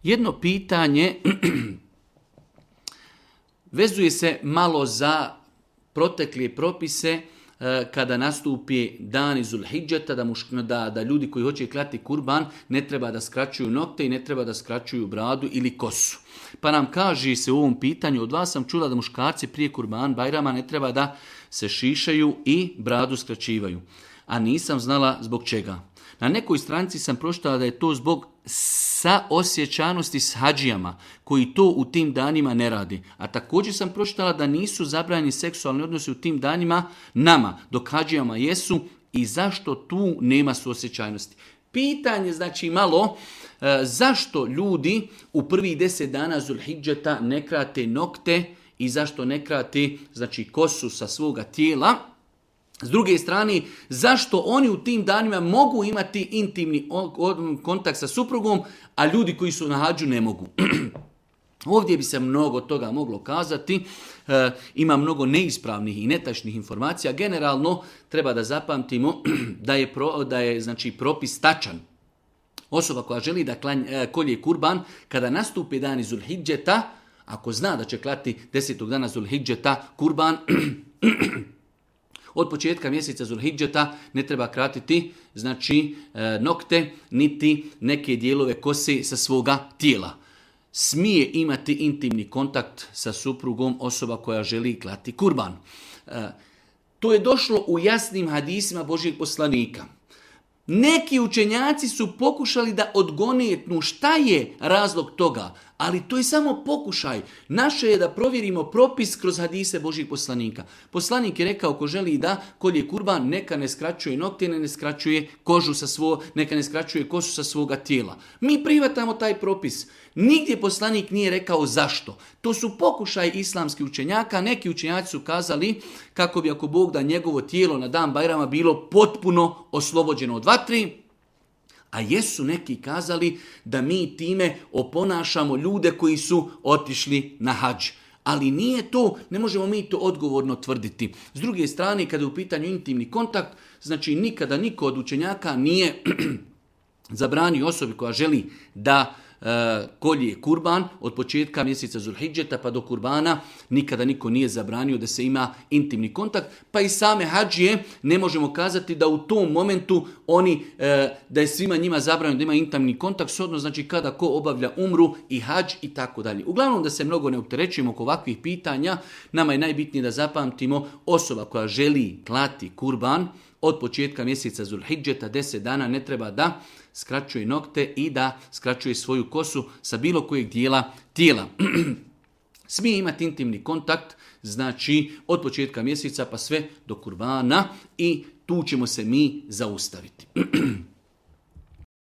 Jedno pitanje vezuje se malo za protekle propise kada nastupi dan iz Zulhidžeta, da ljudi koji hoće klati kurban ne treba da skraćuju nokte i ne treba da skraćuju bradu ili kosu. Pa nam kaže se u ovom pitanju, od vas sam čula da muškarci prije kurban Bajrama ne treba da se šišaju i bradu skraćivaju. A nisam znala zbog čega. Na nekoj stranici sam pročitala da je to zbog saosjećanosti s hađijama, koji to u tim danima ne radi. A također sam pročitala da nisu zabranjeni seksualni odnosi u tim danima nama, dok hađijama jesu, i zašto tu nema suosjećajnosti. Pitanje znači malo, zašto ljudi u prvih 10 dana Zulhidžeta ne krate nokte i zašto ne krate znači kosu sa svoga tijela. S druge strane, zašto oni u tim danima mogu imati intimni kontakt sa suprugom, a ljudi koji su na hađu ne mogu. Ovdje bi se mnogo toga moglo kazati, ima mnogo neispravnih i netačnih informacija. Generalno treba da zapamtimo da je znači propis tačan. Osoba koja želi da kolje kurban, kada nastupi dan iz Zulhidžeta, ako zna da će klati 10. dana Zulhidžeta kurban, od početka mjeseca Zulhidžeta ne treba kratiti znači nokte niti neke dijelove kose sa svoga tijela. Smije imati intimni kontakt sa suprugom osoba koja želi klati kurban. To je došlo u jasnim hadisima Božjeg poslanika. Neki učenjaci su pokušali da odgonetnu šta je razlog toga, ali to je samo pokušaj. Naše je da provjerimo propis kroz hadise Božjih poslanika. Poslanik je rekao, ko želi da kolje kurban, neka ne skraćuje nokte, ne skraćuje kožu neka ne skraćuje kosu sa svoga tijela. Mi prihvatamo taj propis. Nigdje poslanik nije rekao zašto. To su pokušaj islamskih učenjaka. Neki učenjaci su kazali kako bi ako Bog da njegovo tijelo na dan Bajrama bilo potpuno oslobođeno od vatri, a jesu neki kazali da mi time oponašamo ljude koji su otišli na hadž. Ali nije to, ne možemo mi to odgovorno tvrditi. S druge strane, kada je u pitanju intimni kontakt, znači nikada niko od učenjaka nije zabranio osobi koja želi da kolje kurban od početka mjeseca Zulhidžeta pa do kurbana, nikada niko nije zabranio da se ima intimni kontakt, pa i same hađije ne možemo kazati da u tom momentu da je svima njima zabranjeno da ima intimni kontakt, shodno znači kada ko obavlja umru i hađ i tako dalje. Uglavnom da se mnogo ne opterećujemo oko ovakvih pitanja, nama je najbitnije da zapamtimo osoba koja želi klati kurban od početka mjeseca Zulhidžeta 10 dana ne treba da skraćuje nokte i da skraćuje svoju kosu sa bilo kojeg dijela tijela. Smije imati intimni kontakt, znači od početka mjeseca pa sve do kurbana i tu ćemo se mi zaustaviti.